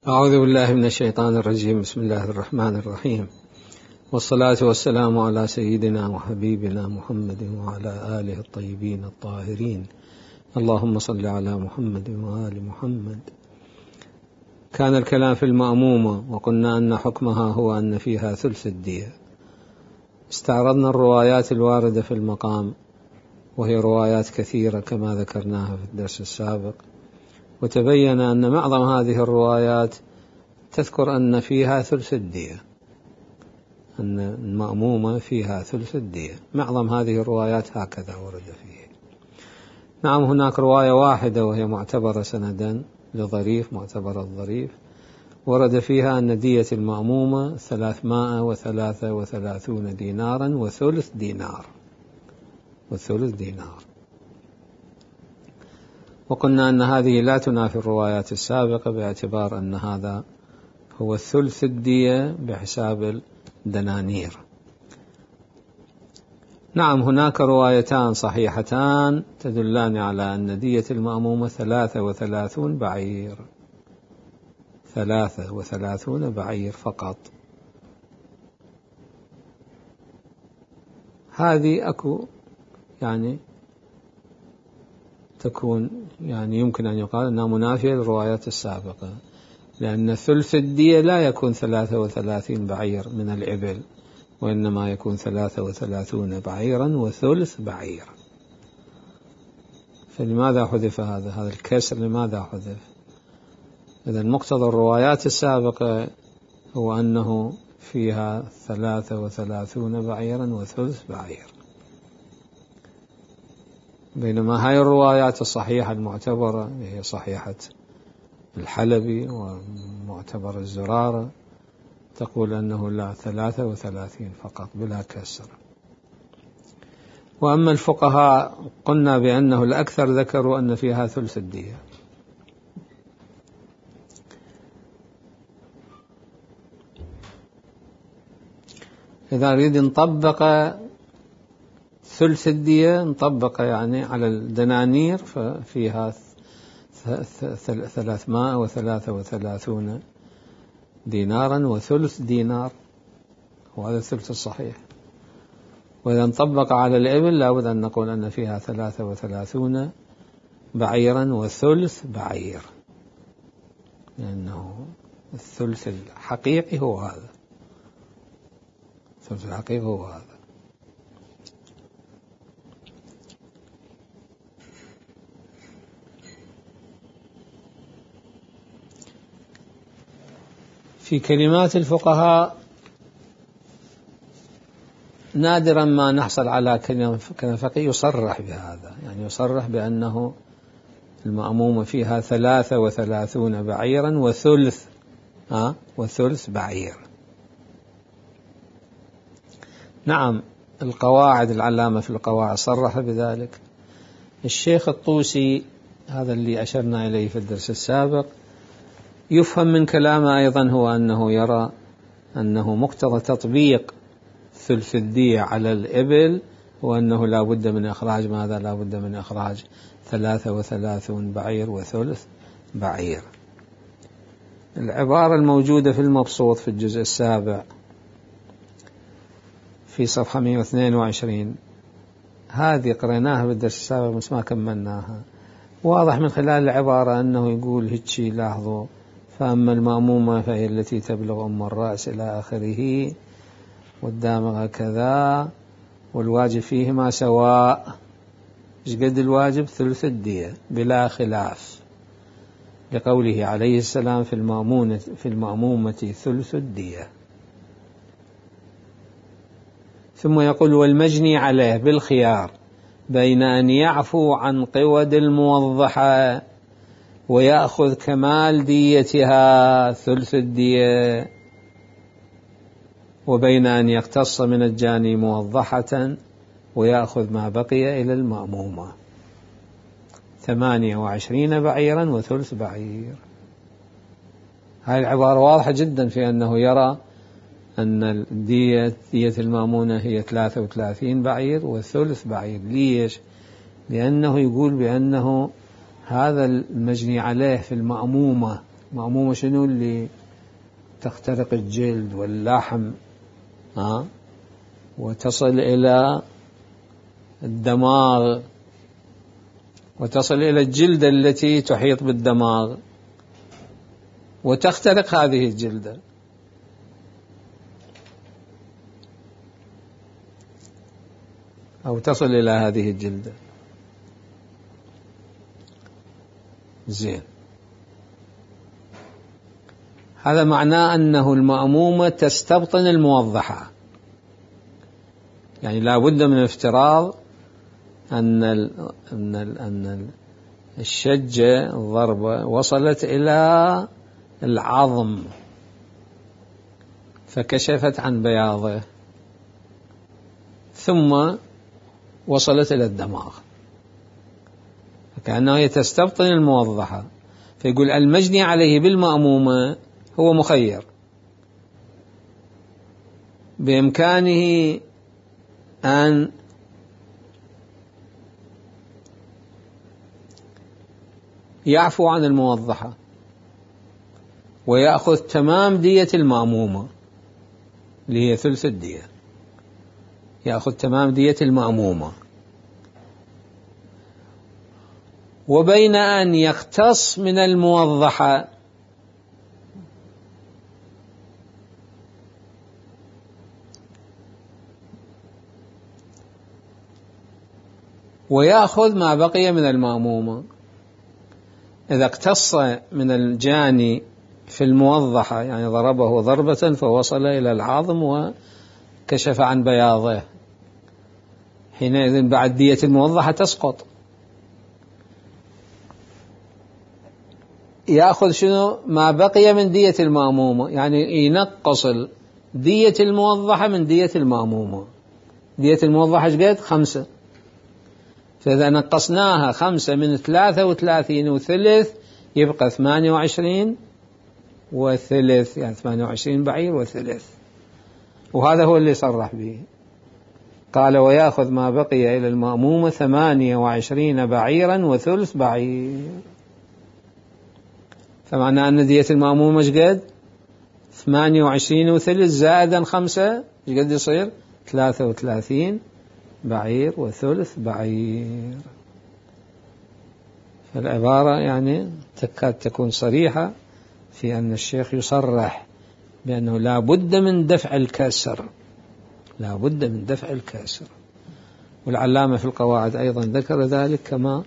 أعوذ بالله من الشيطان الرجيم. بسم الله الرحمن الرحيم، والصلاة والسلام على سيدنا وحبيبنا محمد وعلى آله الطيبين الطاهرين. اللهم صل على محمد وآل محمد. كان الكلام في المأمومة، وقلنا أن حكمها هو أن فيها ثلث الدية. استعرضنا الروايات الواردة في المقام، وهي روايات كثيرة كما ذكرناها في الدرس السابق، وتبين أن معظم هذه الروايات تذكر أن فيها ثلث الدية، أن المأمومة فيها ثلث الدية. معظم هذه الروايات هكذا ورد فيه. نعم، هناك رواية واحدة وهي معتبرة سندا لظريف، معتبرة الظريف، ورد فيها أن دية المأمومة 333 دينارا وثلث دينار. وقلنا أن هذه لا تنافي الروايات السابقة، باعتبار أن هذا هو ثلث الدية بحساب الدنانير. نعم، هناك روايتان صحيحتان تدلان على أن دية المأمومة 33 بعير، 33 بعير فقط. هذه تكون يمكن أن يقال أنها منافية للروايات السابقة، لأن ثلث الدية لا يكون 33 بعير من الإبل، وإنما يكون 33 بعيرا وثلث بعير. فلماذا حذف هذا الكسر؟ لماذا حذف؟ إذا مقتضى الروايات السابقة هو أنه فيها 33 بعيرا وثلث بعير، بينما هاي الروايات الصحيحة المعتبرة هي صحيحة الحلبي ومعتبر الزرارة تقول أنه لا، 33 فقط بلا كسر. وأما الفقهاء قلنا بأنه الأكثر ذكروا أن فيها ثلث الدية. إذا نريد نطبق ثلث الدية، نطبق على الدنانير، ففيها 333 دينارا وثلث دينار، وهذا الثلث الصحيح. وإذا نطبق على الإبل لابد أن نقول أن فيها 33 بعيرا وثلث بعير، لأنه الثلث الحقيقي هو هذا، الثلث الحقيقي هو هذا. في كلمات الفقهاء نادرا ما نحصل على كلمة فقيه يصرح بهذا، يصرح بأنه المأمومة فيها 33 بعيرا وثلث بعير. نعم، القواعد، العلامة في القواعد صرح بذلك. الشيخ الطوسي، هذا اللي أشرنا إليه في الدرس السابق، يفهم من كلامه أيضا هو أنه يرى أنه مقتضى تطبيق ثلث الدية على الإبل وأنه لا بد من إخراج ماذا؟ لا بد من إخراج 33 بعير وثلث بعير. العبارة الموجودة في المبسوط في الجزء السابع في صفحة 122، هذه قرأناها بالدرس السابق بس ما كملناها. واضح من خلال العبارة أنه يقول هيك، لاحظوا: فأما المأمومة فهي التي تبلغ أم الرأس إلى آخره، والدامغة كذا، والواجب فيهما سواء. إيش قد الواجب؟ ثلث الدية بلا خلاف، لقوله عليه السلام في المأمومة ثلث الدية. ثم يقول: والمجني عليه بالخيار بين أن يعفو عن قود الموضحة ويأخذ كمال ديتها ثلث الدية، وبين أن يقتص من الجاني موضحة ويأخذ ما بقي إلى المأمومة 28 بعيرا وثلث بعير. هذه العبارة واضحة جدا في أنه يرى أن دية المأمونة هي 33 بعير وثلث بعير. ليش؟ لأنه يقول بأنه هذا المجني عليه في المأمومة مأمومة شنو؟ اللي تخترق الجلد واللحم وتصل إلى الدماغ وتصل إلى الجلد التي تحيط بالدماغ وتخترق هذه الجلدة. أو تصل إلى هذه الجلدة. زين، هذا معناه أنه المأمومة تستبطن الموضحة، يعني لا بد من افتراض أن الشجة الضربة وصلت إلى العظم فكشفت عن بياضه ثم وصلت إلى الدماغ، فكأنه هي تستبطن الموضحة. فيقول المجني عليه بالمأمومة هو مخير، بإمكانه أن يعفو عن الموضحة ويأخذ تمام دية المأمومة اللي هي ثلث الدية، يأخذ تمام دية المأمومة، وبين أن يقتص من الموضحة ويأخذ ما بقي من المأمومة. إذا اقتص من الجاني في الموضحة، يعني ضربه ضربة فوصل إلى العظم وكشف عن بياضه، حينئذ بعد دية الموضحة تسقط. يأخذ شنو؟ ما بقي من دية المأمومة، يعني ينقص دية الموضحة من دية المأمومة. دية الموضحة ايش قد؟ 5، فإذا نقصناها 5 من 33 وثلث يبقى 28 وثلث، يعني 28 بعير وثلث. وهذا هو اللي صرح به، قال ويأخذ ما بقي إلى المأمومة 28 بعيرا وثلث بعير. فمعنى أن دية المأمومة ايش قد؟ 28 وثلث زائدا 5 ايش قد يصير؟ 33 بعير وثلث بعير. فالعبارة يعني تكاد تكون صريحة في أن الشيخ يصرح بأنه لا بد من دفع الكسر، لا بد من دفع الكسر. والعلامة في القواعد أيضا ذكر ذلك كما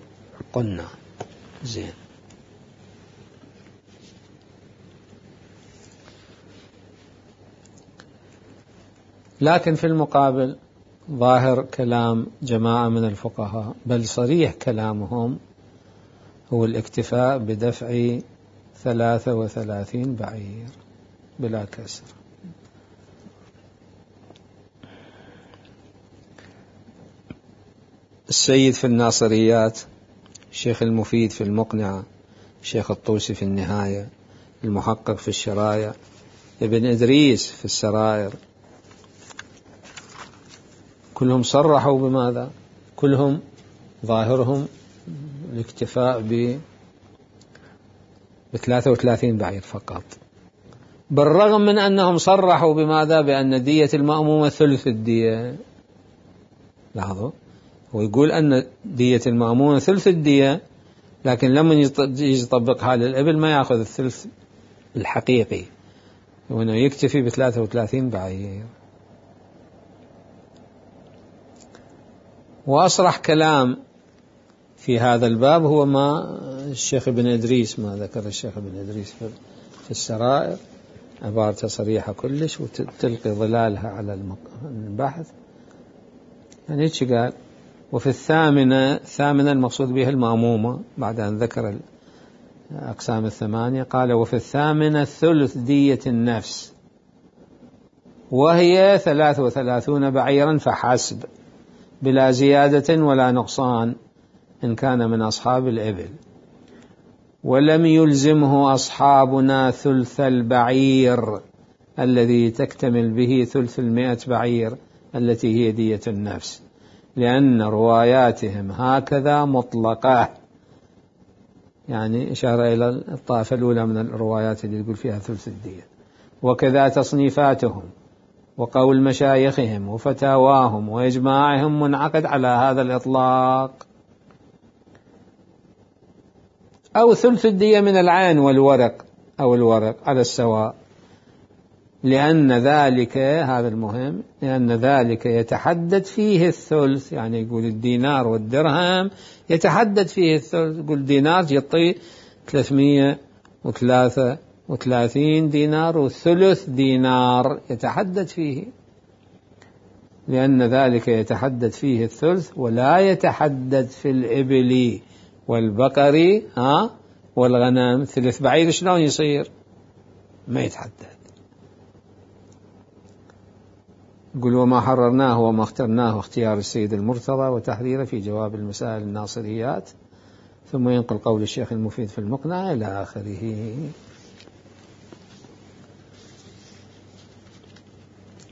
قلنا. زين، لكن في المقابل ظاهر كلام جماعة من الفقهاء، بل صريح كلامهم، هو الاكتفاء بدفع 33 بعير بلا كسر. السيد في الناصريات، الشيخ المفيد في المقنعة، الشيخ الطوسي في النهاية، المحقق في الشرايع، ابن إدريس في السرائر، كلهم صرحوا بماذا؟ كلهم ظاهرهم الاكتفاء ب 33 بعير فقط، بالرغم من أنهم صرحوا بماذا؟ بأن دية المأمومة ثلث الدية. لاحظوا، هو يقول أن دية المأمومة ثلث الدية، لكن لما يجي يطبقها للإبل ما يأخذ الثلث الحقيقي، وأنه يكتفي ب 33 بعير. وأصرح كلام في هذا الباب هو ما الشيخ ابن إدريس، ما ذكر الشيخ ابن إدريس في السرائر، عبارة صريحة كلش وتلقي ظلالها على البحث. يعني ايش قال؟ وفي الثامنة المقصود بها المأمومة، بعد أن ذكر الأقسام 8 قال وفي الثامنة ثلث دية النفس، وهي 33 بعيرا فحسب، بلا زيادة ولا نقصان إن كان من أصحاب الإبل. ولم يلزمه أصحابنا ثلث البعير الذي تكتمل به ثلث 100 بعير التي هي دية النفس، لأن رواياتهم هكذا مطلقة، يعني إشارة إلى الطائفة الأولى من الروايات اللي يقول فيها ثلث الدية. وكذا تصنيفاتهم وقول مشايخهم وفتاواهم وإجماعهم منعقد على هذا الإطلاق. أو ثلث الدية من العين والورق أو الورق على السواء، لأن ذلك، هذا المهم، لأن ذلك يتحدد فيه الثلث. يعني يقول الدينار والدرهم يتحدد فيه الثلث، يقول دينار يعطي 333 دينار وثلث دينار يتحدد فيه، لأن ذلك يتحدد فيه الثلث ولا يتحدد في الإبل والبقر والغنم. ثلث بعير شلون يصير؟ ما يتحدد. يقول وما حررناه وما اخترناه اختيار السيد المرتضى وتحريره في جواب المسائل الناصريات. ثم ينقل قول الشيخ المفيد في المقنع إلى آخره.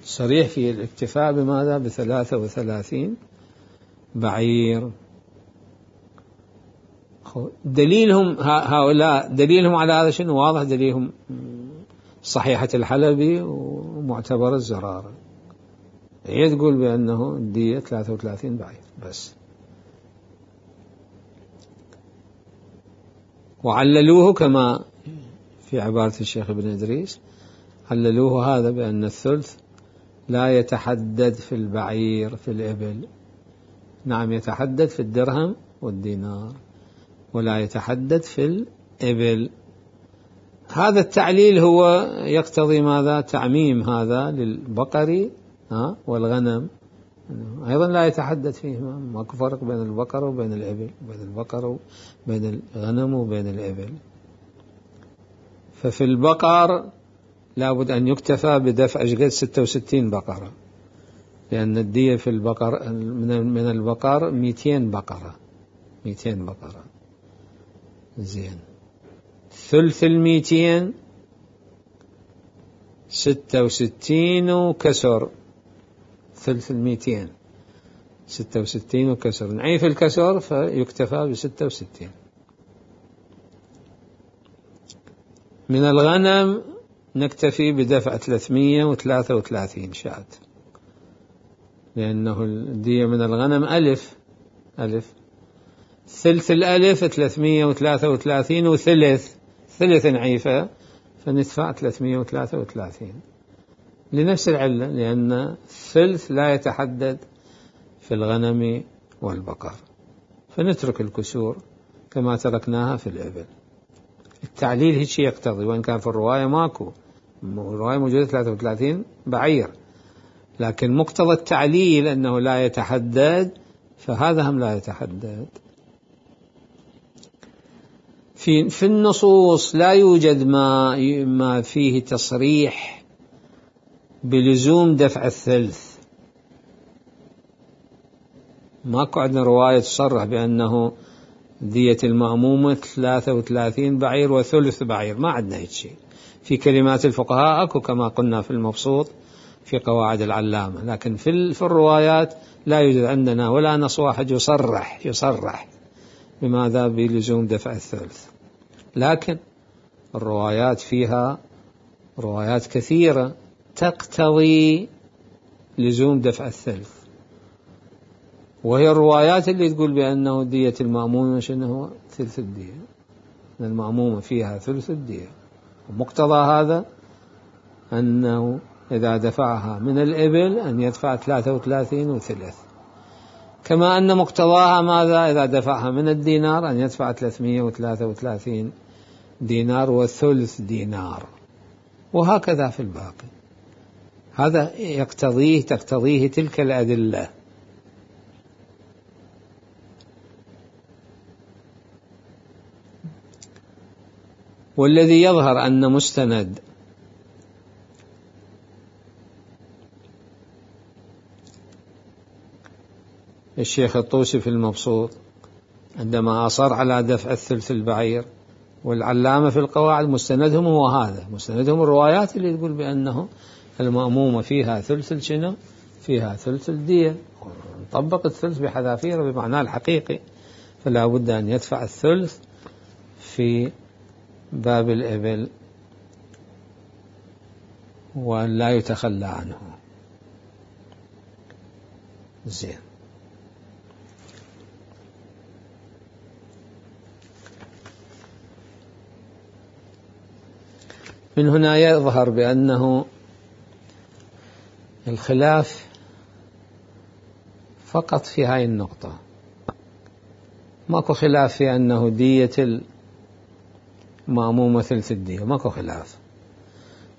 صريح في الاكتفاء بماذا؟ ب33 بعير. دليلهم هؤلاء، دليلهم على هذا شنو؟ واضح، دليلهم صحيحة الحلبي ومعتبر الزرارة، هي تقول بأنه الدية 33 بعير بس. وعللوه كما في عبارة الشيخ ابن إدريس، عللوه هذا بأن الثلث لا يتحدد في البعير في الإبل، نعم يتحدد في الدرهم والدينار ولا يتحدد في الإبل. هذا التعليل هو يقتضي ماذا؟ تعميم هذا للبقر والغنم أيضا لا يتحدد فيهما، ماكو فرق بين البقر وبين الإبل، بين البقر وبين الغنم وبين الإبل. ففي البقر لابد أن يكتفى بدفع 66 بقرة، لأن الدية في البقر من البقر 200 بقرة، 200 بقرة. زين، ثلث 200 66 وكسر، ثلث 200 66 وكسر، نعيف الكسر فيكتفى ب66. من الغنم نكتفي بدفع 333 شاة، لأنه الدية من الغنم ألف، ثلث الألف 333 وثلث نعيفة فندفع 333 لنفس العلة، لأن الثلث لا يتحدد في الغنم والبقر، فنترك الكسور كما تركناها في الإبل. التعليل هيك يقتضي، وإن كان في الرواية ماكو، الرواية موجودة 33 بعير، لكن مقتضى التعليل أنه لا يتحدد، فهذا هم لا يتحدد. في النصوص لا يوجد ما فيه تصريح بلزوم دفع الثلث، ماكو عندنا رواية تصرح بأنه دية المأمومة 33 بعير وثلث بعير، ما عندنا هيك شيء. في كلمات الفقهاء أكو كما قلنا في المبسوط في قواعد العلامة، لكن في الروايات لا يوجد عندنا ولا نص واحد يصرح بماذا؟ بلزوم دفع الثلث. لكن الروايات فيها روايات كثيرة تقتضي لزوم دفع الثلث، وهي الروايات اللي تقول بأنه دية المأمومة شنو هو؟ ثلث الدية، المأمومة فيها ثلث الدية، ومقتضى هذا أنه إذا دفعها من الإبل أن يدفع 33 وثلث، كما أن مقتضاها ماذا؟ إذا دفعها من الدينار أن يدفع 333 دينار وثلث دينار، وهكذا في الباقي. هذا تقتضيه تلك الأدلة. والذي يظهر أن مستند الشيخ الطوسي في المبسوط عندما أصر على دفع الثلث البعير، والعلامة في القواعد مستندهم هو هذا، مستندهم الروايات اللي تقول بأنه المأمومة فيها ثلث شنو؟ فيها ثلث الدية، نطبق الثلث بحذافيره بمعناه الحقيقي، فلا بد أن يدفع الثلث في باب الإبل وأن لا يتخلى عنه. زين. من هنا يظهر بأنه الخلاف فقط في هاي النقطة، ماكو خلاف في أنه دية المأمومة ثلث الدية، ماكو خلاف.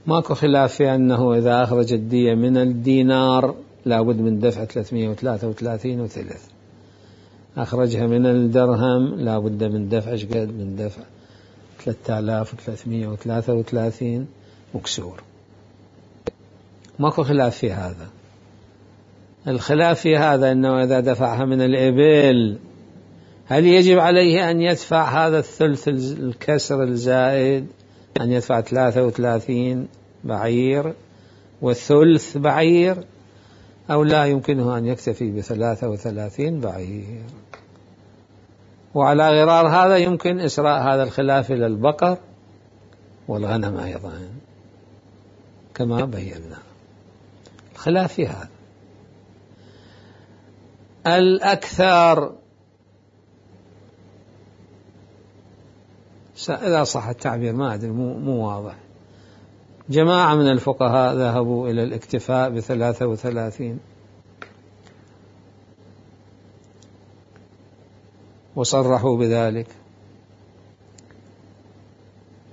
ماكو خلاف في أنه إذا أخرج الدية من الدينار لابد من دفع 333 وثلث، أخرجها من الدرهم لابد من دفع شقد؟ من دفع 3333 وكسور. ماكو خلاف في هذا. الخلاف في هذا أنه إذا دفعها من الإبل هل يجب عليه أن يدفع هذا الثلث الكسر الزائد، أن يدفع 33 بعير والثلث بعير، أو لا يمكنه أن يكتفي ب33 بعير؟ وعلى غرار هذا يمكن إسراء هذا الخلاف إلى البقر والغنم أيضا كما بينا. الخلاف في هذا. الأكثر، إذا صح التعبير ما أدري، مو واضح، جماعة من الفقهاء ذهبوا إلى الاكتفاء ب33 وصرحوا بذلك،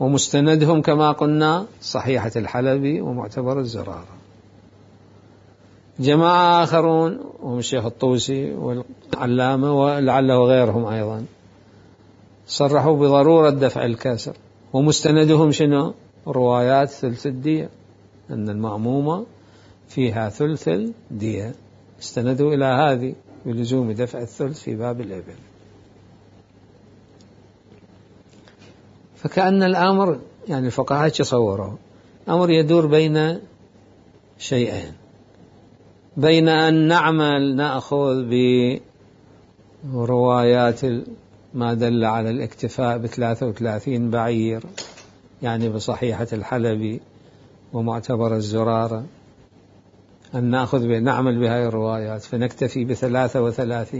ومستندهم كما قلنا صحيحة الحلبي ومعتبر الزرارة. جماعة آخرون وهم الشيخ الطوسي والعلامة ولعله غيرهم أيضا صرحوا بضرورة دفع الكسر، ومستندهم شنو؟ روايات ثلث الدية، أن المأمومة فيها ثلث الدية، استندوا إلى هذه بلزوم دفع الثلث في باب الإبل. فكأن الأمر يعني الفقهاء يتصوروا أمر يدور بين شيئين، بين أن نأخذ بروايات ما دل على الاكتفاء ب33 بعير، يعني بصحيحة الحلبي ومعتبر الزرارة، أن نعمل بهذه الروايات فنكتفي ب33،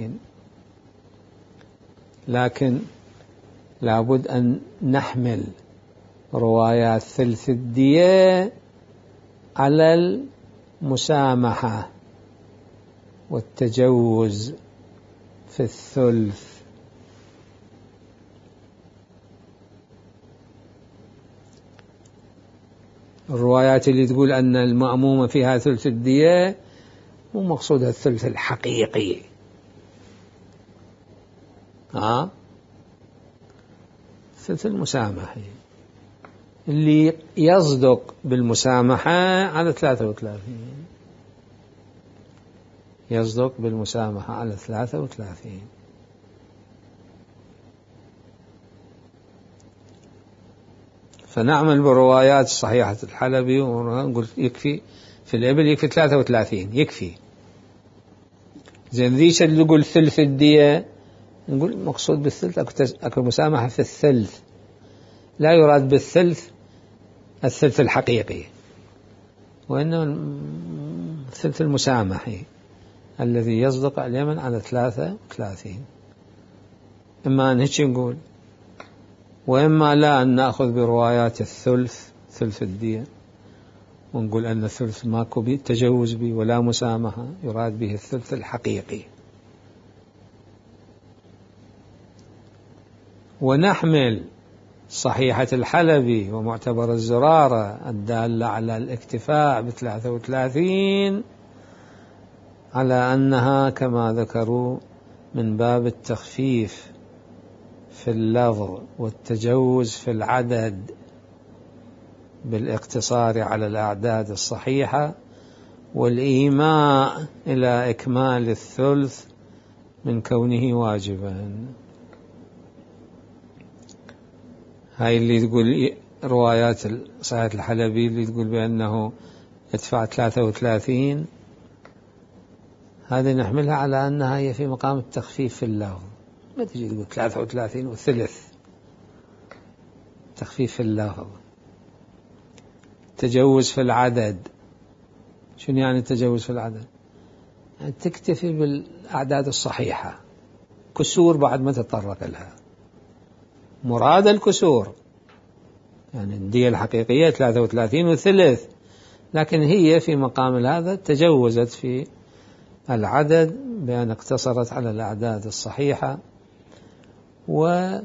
لكن لابد أن نحمل روايات ثلث الدية على المسامحة والتجوز في الثلث. الروايات اللي تقول أن المأمومة فيها ثلث الدية مو مقصودها الثلث الحقيقي، ثلث المسامحة اللي يصدق بالمسامحة على 33، يصدق بالمسامحة على 33. فنعمل بروايات صحيحة الحلبي ونقول يكفي في الإبل، يكفي 33 يكفي. زين ذيش اللي يقول ثلث الدية نقول مقصود بالثلث أكو مسامحة في الثلث، لا يراد بالثلث الثلث الحقيقي، وإنما الثلث المسامحي الذي يصدق اليمن على 33. إما أن هيك نقول، وإما لا أن نأخذ بروايات الثلث ثلث الدية ونقول أن الثلث ماكو به تجوز به ولا مسامحة، يراد به الثلث الحقيقي. ونحمل صحيحة الحلبي ومعتبر الزرارة الدالة على الاكتفاء ب33 على أنها كما ذكروا من باب التخفيف في اللفظ والتجوز في العدد بالاقتصار على الأعداد الصحيحة والإيماء إلى إكمال الثلث من كونه واجبا. هاي اللي تقول روايات صحيحة الحلبي اللي تقول بأنه يدفع 33، هذه نحملها على أنها هي في مقام التخفيف في اللفظ، ما تجي تقول 33 وثلث، تخفيف في اللفظ. تجوز في العدد، شنو يعني تجوز في العدد؟ يعني تكتفي بالأعداد الصحيحة، كسور بعد ما تتطرق لها. مراد الكسور يعني الدية الحقيقية 33 وثلث، لكن هي في مقام هذا تجوزت في العدد بأن اقتصرت على الأعداد الصحيحة، وأوكلت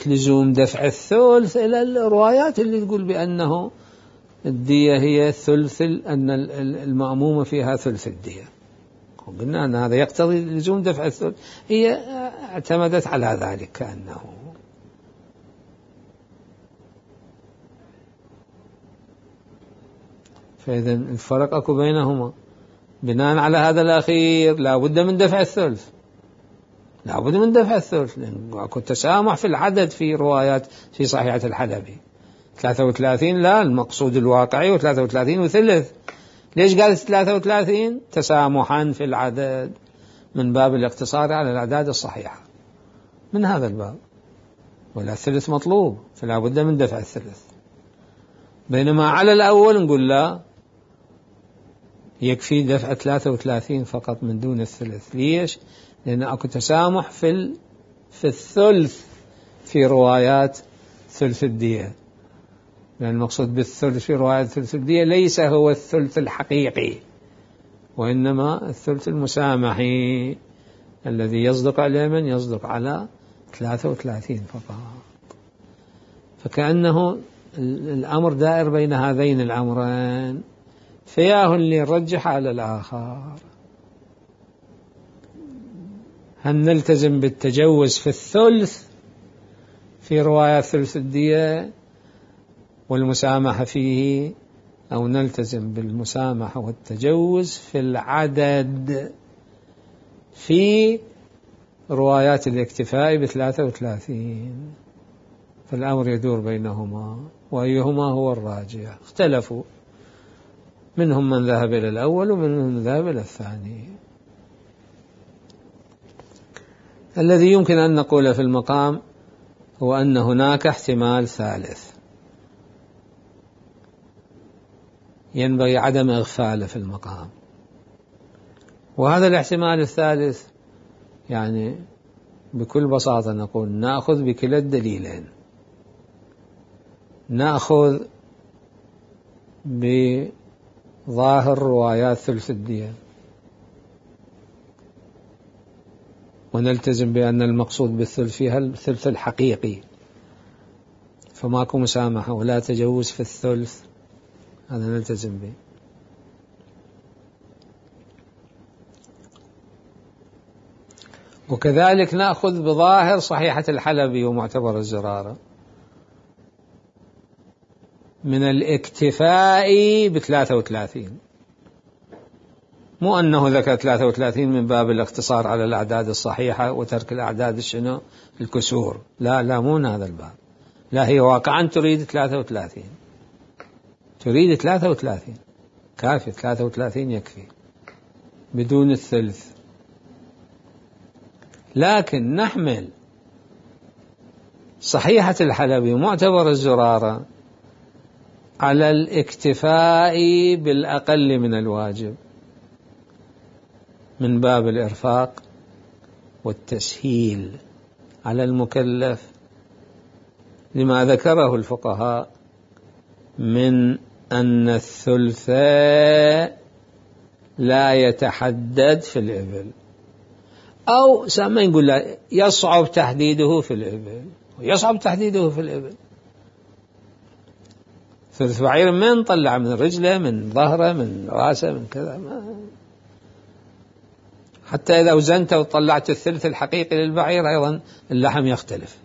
لزوم دفع الثلث إلى الروايات اللي تقول بأنه الدية هي ثلث، أن المأمومة فيها ثلث الدية، وقلنا أن هذا يقتضي لزوم دفع الثلث. هي اعتمدت على ذلك كأنه. فإذا الفرق أكو بينهما. بناء على هذا الأخير لا بد من دفع الثلث، لا بد من دفع الثلث، لأن أكو تسامح في العدد في روايات في صحيحة الحلبي. 33 لا، المقصود الواقعي، و33 وثلث. ليش قالت 33؟ تسامحا في العدد من باب الاقتصار على الأعداد الصحيحة، من هذا الباب. ولا الثلث مطلوب، فلا بد من دفع الثلث. بينما على الأول نقول لا، يكفي دفع 33 فقط من دون الثلث. ليش؟ لأن أكو تسامح في الثلث في روايات ثلث الدية، لأن المقصود بالثلث في روايات ثلث الدية ليس هو الثلث الحقيقي، وإنما الثلث المسامحي الذي يصدق على من؟ يصدق على 33 فقط. فكأنه الأمر دائر بين هذين الأمرين، فياه اللي يرجح على الآخر. هل نلتزم بالتجوز في الثلث في رواية ثلث الدية والمسامحة فيه، أو نلتزم بالمسامحة والتجوز في العدد في روايات الاكتفاء ب33؟ فالأمر يدور بينهما، وأيهما هو الراجح. اختلفوا، منهم من ذهب إلى الأول ومنهم من ذهب إلى الثاني. الذي يمكن أن نقول في المقام هو أن هناك احتمال ثالث ينبغي عدم إغفاله في المقام، وهذا الاحتمال الثالث يعني بكل بساطة نقول نأخذ بكلا الدليلين. نأخذ بظاهر روايات ثلث الدية ونلتزم بأن المقصود بالثلث فيها الثلث الحقيقي، فماكو مسامحة ولا تجوز في الثلث، هذا نلتزم به. وكذلك نأخذ بظاهر صحيحة الحلبي ومعتبر الزرارة من الاكتفاء ب33، مو أنه ذكر 33 من باب الاقتصار على الأعداد الصحيحة وترك الأعداد الشنو الكسور، لا مو من هذا الباب. لا، هي واقعا تريد 33، تريد 33 كافي، 33 يكفي بدون الثلث. لكن نحمل صحيحة الحلبي ومعتبر الزرارة على الاكتفاء بالأقل من الواجب من باب الإرفاق والتسهيل على المكلف، لما ذكره الفقهاء من أن الثلث لا يتحدد في الإبل، أو سامع نقول لا يصعب تحديده في الإبل، ويصعب تحديده في الإبل. ثلث بعير من طلع من رجله، من ظهره، من راسه، من كذا، حتى إذا وزنت وطلعت الثلث الحقيقي للبعير أيضا اللحم يختلف،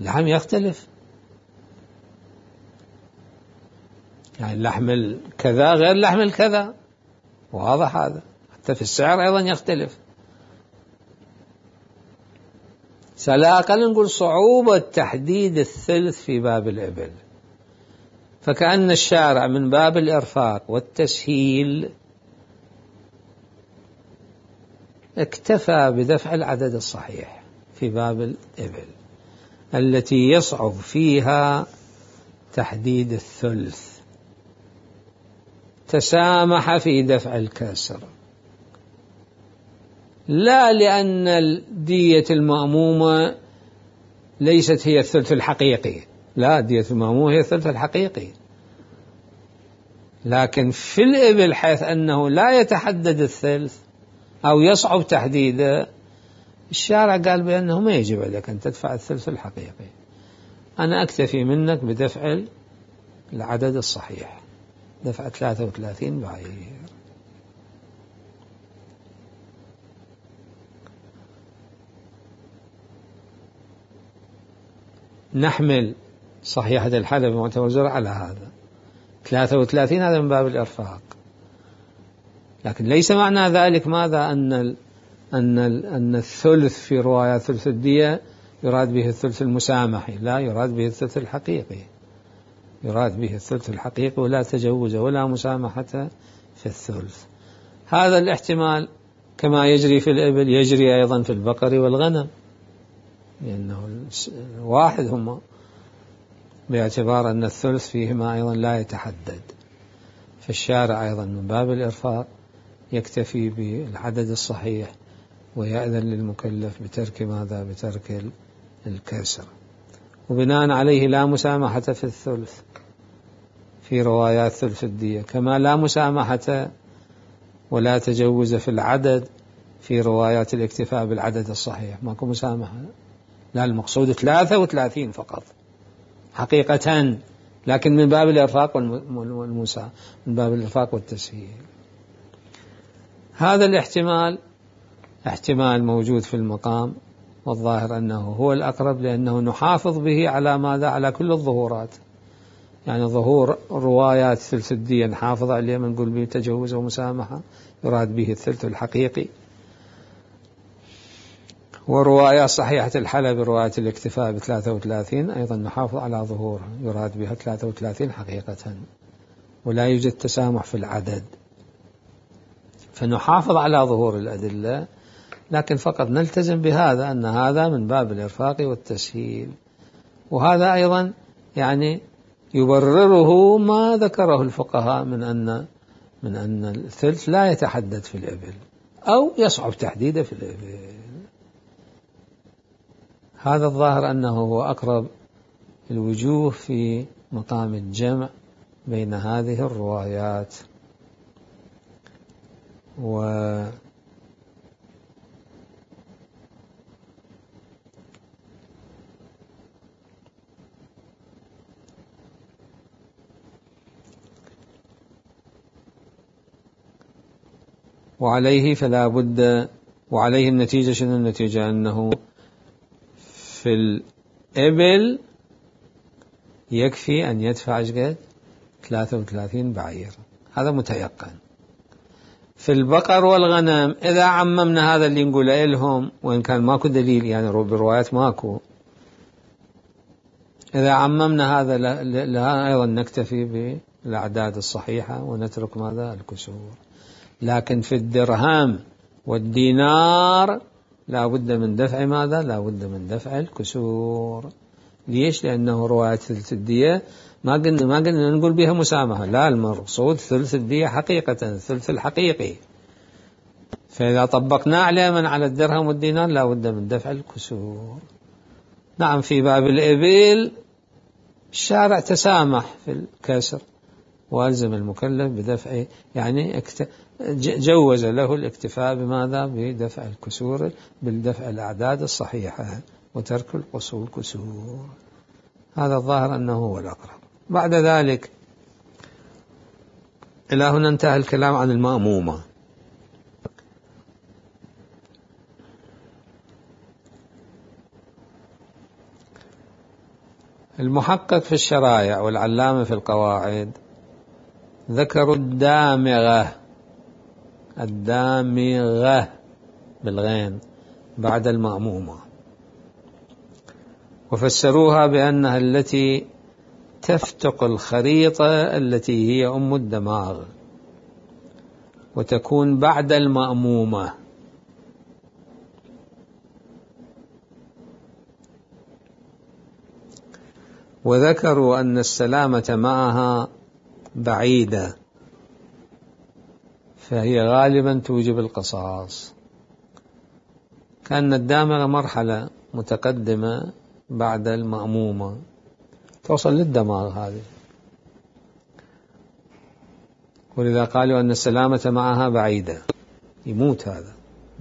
اللحم يختلف، يعني اللحم الكذا غير اللحم الكذا، واضح هذا. حتى في السعر أيضا يختلف. على الأقل نقول صعوبة تحديد الثلث في باب الإبل، فكأن الشارع من باب الإرفاق والتسهيل اكتفى بدفع العدد الصحيح في باب الإبل. التي يصعب فيها تحديد الثلث تسامح في دفع الكسر، لا لأن دية المأمومة ليست هي الثلث الحقيقي، لا، دية المأمومة هي الثلث الحقيقي، لكن في الإبل حيث أنه لا يتحدد الثلث أو يصعب تحديده، الشارع قال بأنه ما يجب عليك أن تدفع الثلث الحقيقي، أنا أكتفي منك بدفع العدد الصحيح، دفع 33 بعير. نحمل صحيحة الحلب معتبر على هذا 33، هذا من باب الإرفاق، لكن ليس معنى ذلك ماذا أن الثلث في رواية ثلث الدية يراد به الثلث المسامحي، لا، يراد به الثلث الحقيقي، يراد به الثلث الحقيقي، ولا تجوز ولا مسامحة في الثلث. هذا الاحتمال كما يجري في الإبل يجري أيضا في البقر والغنم، لأنه واحد هما، باعتبار أن الثلث فيهما أيضا لا يتحدد، فالشارع أيضا من باب الإرفاق يكتفي بالعدد الصحيح ويأذن للمكلف بترك ماذا؟ بترك الكسر، وبناء عليه لا مسامحة في الثلث في روايات ثلث الدية، كما لا مسامحة ولا تجوز في العدد في روايات الاكتفاء بالعدد الصحيح، ماكو مسامحة، لا، المقصود 33 فقط حقيقة، لكن من باب الإرفاق من باب الإرفاق والتسهيل. هذا الاحتمال احتمال موجود في المقام، والظاهر أنه هو الأقرب، لأنه نحافظ به على ماذا؟ على كل الظهورات، يعني ظهور روايات ثلث الدية نحافظ عليه، من نقول به تجوز ومسامحة يراد به الثلث الحقيقي، وروايات صحيحة الحلب رواية الاكتفاء ب33 أيضا نحافظ على ظهورها يراد بها 33 حقيقة، ولا يوجد تسامح في العدد، فنحافظ على ظهور الأدلة، لكن فقط نلتزم بهذا، أن هذا من باب الإرفاق والتسهيل. وهذا أيضا يعني يبرره ما ذكره الفقهاء من أن الثلث لا يتحدد في الإبل أو يصعب تحديده في الإبل. هذا الظاهر أنه هو أقرب الوجوه في مقام الجمع بين هذه الروايات. وعليه فلا بد، وعليه النتيجة، شنو النتيجة؟ أنه في الإبل يكفي أن يدفع 33 بعير، هذا متيقن. في البقر والغنم إذا عممنا هذا اللي نقوله لهم، وإن كان ماكو دليل يعني بروايات ماكو، إذا عممنا هذا لها أيضا نكتفي بالأعداد الصحيحة ونترك ماذا؟ الكسور. لكن في الدرهم والدينار لا بد من دفع ماذا؟ لا بد من دفع الكسور. ليش؟ لأنه رواية ثلث الدية ما قلنا نقول بها مسامحة، لا، المقصود ثلث الدية حقيقة، الثلث الحقيقي، فإذا طبقنا عليه من على الدرهم والدينار لا بد من دفع الكسور. نعم، في باب الإبل الشارع تسامح في الكسر والزم المكلف بدفع، يعني جوز له الاكتفاء بماذا؟ بدفع الكسور، بالدفع الأعداد الصحيحة وترك الكسور. هذا الظاهر أنه هو الأقرب. بعد ذلك إلى هنا انتهى الكلام عن المأمومة. المحقق في الشرائع والعلامة في القواعد ذكروا الدامغة بالغين بعد المأمومة، وفسروها بأنها التي تفتق الخريطة التي هي أم الدماغ وتكون بعد المأمومة، وذكروا أن السلامة معها بعيدة، فهي غالبا توجب القصاص، كأن الدامغة مرحلة متقدمة بعد المأمومة توصل للدماغ هذه، ولذا قالوا أن السلامة معها بعيدة، يموت هذا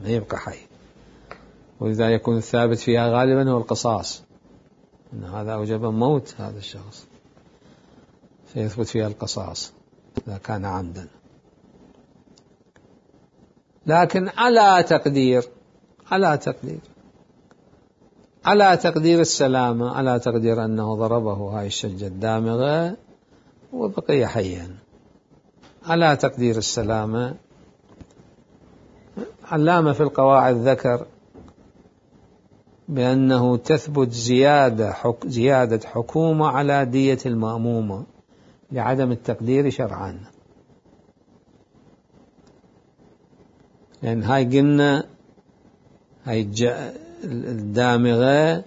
ما يبقى حي، ولذا يكون الثابت فيها غالبا هو القصاص، أن هذا أوجب موت هذا الشخص فيثبت فيها القصاص إذا كان عمدا. لكن على تقدير السلامة، على تقدير أنه ضربه هاي الشجة الدامغة وبقي حيا، على تقدير السلامة، علامة في القواعد ذكر بأنه تثبت زيادة حكومة على دية المأمومة لعدم التقدير شرعا، لأن هاي قلنا هاي الدامغة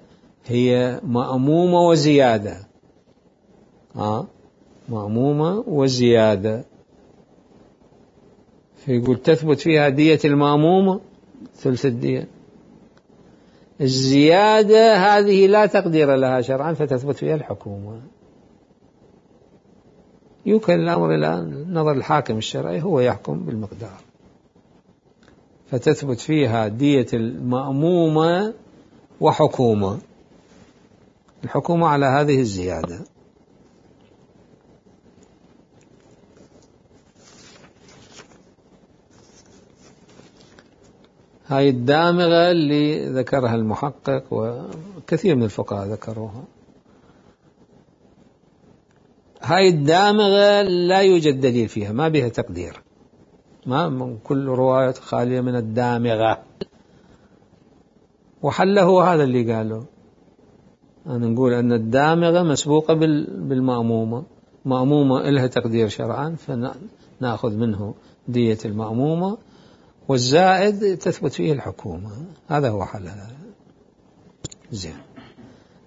هي مأمومة وزيادة، مأمومة وزيادة، فيقول تثبت فيها دية المأمومة ثلث الدية، الزيادة هذه لا تقدير لها شرعا فتثبت فيها الحكومة، يمكن الأمر إلى نظر الحاكم الشرعي هو يحكم بالمقدار، فتثبت فيها دية المأمومة وحكومة، الحكومة على هذه الزيادة. هاي الدامغة اللي ذكرها المحقق وكثير من الفقهاء ذكروها، هاي الدامغة لا يوجد دليل فيها، ما بها تقدير، ما من كل رواية خالية من الدامغة، وحله هذا اللي قاله، أنا نقول أن الدامغة مسبوقة بالمأمومة، مأمومة إلها تقدير شرعا فنأخذ منه دية المأمومة، والزائد تثبت فيه الحكومة، هذا هو حلها. زين.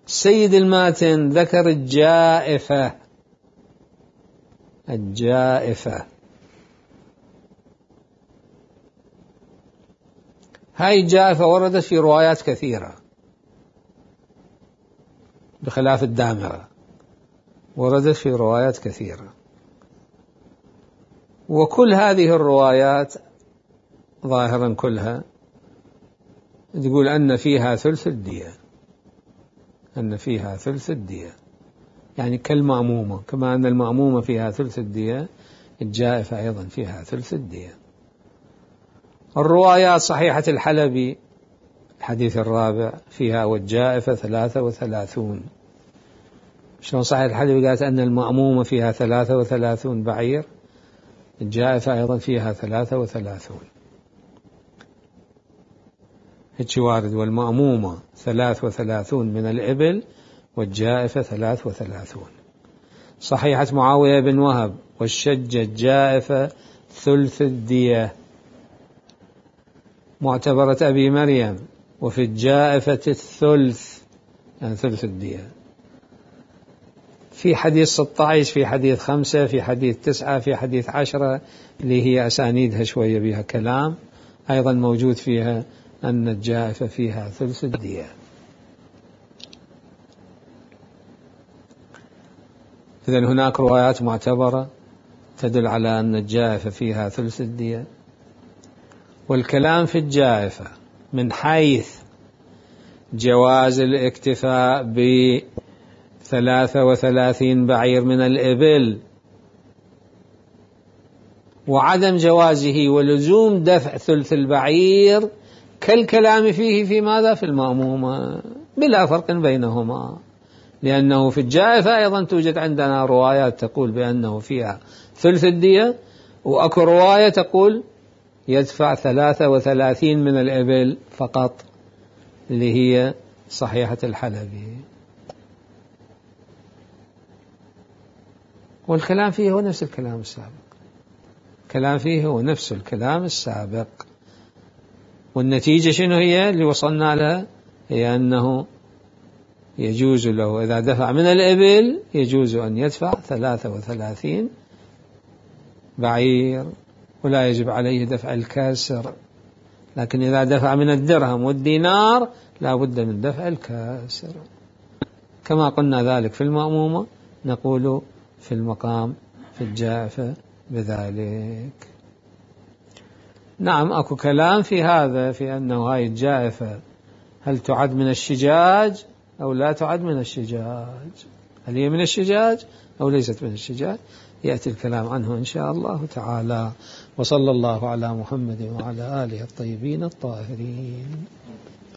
السيد الماتن ذكر الجائفة. هاي الجائفة وردت في روايات كثيرة بخلاف الدامغة، وردت في روايات كثيرة، وكل هذه الروايات ظاهرا كلها تقول أن فيها ثلث الدية، يعني كالمأمومة، كما أن المأمومة فيها ثلث الدية الجائفة أيضا فيها ثلث الدية. الروايات صحيحة الحلبي الحديث الرابع فيها والجائفة 33، شلون صحيح الحلبي قالت أن المأمومة فيها 33 بعير، الجائفة أيضا فيها 33، هيك وارد، والمأمومة 33 من الإبل والجائفة 33. صحيحة معاوية بن وهب والشجة الجائفة ثلث الدية، معتبرة أبي مريم وفي الجائفة الثلث، يعني ثلث الدية، في حديث 16، في حديث 5، في حديث 9، في حديث 10 اللي هي أسانيدها شوية بها كلام، أيضا موجود فيها أن الجائفة فيها ثلث الدية. إذن هناك روايات معتبرة تدل على أن الجائفة فيها ثلث الدية، والكلام في الجائفة من حيث جواز الاكتفاء ب33 بعير من الإبل وعدم جوازه ولزوم دفع ثلث البعير كالكلام فيه في ماذا؟ في المأمومة، بلا فرق بينهما، لأنه في الجائفة أيضا توجد عندنا روايات تقول بأنه فيها ثلث الدية، وأكو رواية تقول يدفع 33 من الإبل فقط اللي هي صحيحة الحلبي، والكلام فيه هو نفس الكلام السابق، الكلام فيه هو نفس الكلام السابق، والنتيجة شنو هي اللي وصلنا لها؟ هي أنه يجوز له إذا دفع من الإبل يجوز أن يدفع 33 بعير ولا يجب عليه دفع الكاسر، لكن إذا دفع من الدرهم والدينار لا بد من دفع الكاسر، كما قلنا ذلك في المأمومة نقول في المقام في الجائفة بذلك. نعم أكو كلام في هذا، في أنه هاي الجائفة هل تعد من الشجاج أو لا تعد من الشجاج، هل هي من الشجاج أو ليست من الشجاج، يأتي الكلام عنه إن شاء الله تعالى. وصلى الله على محمد وعلى آله الطيبين الطاهرين.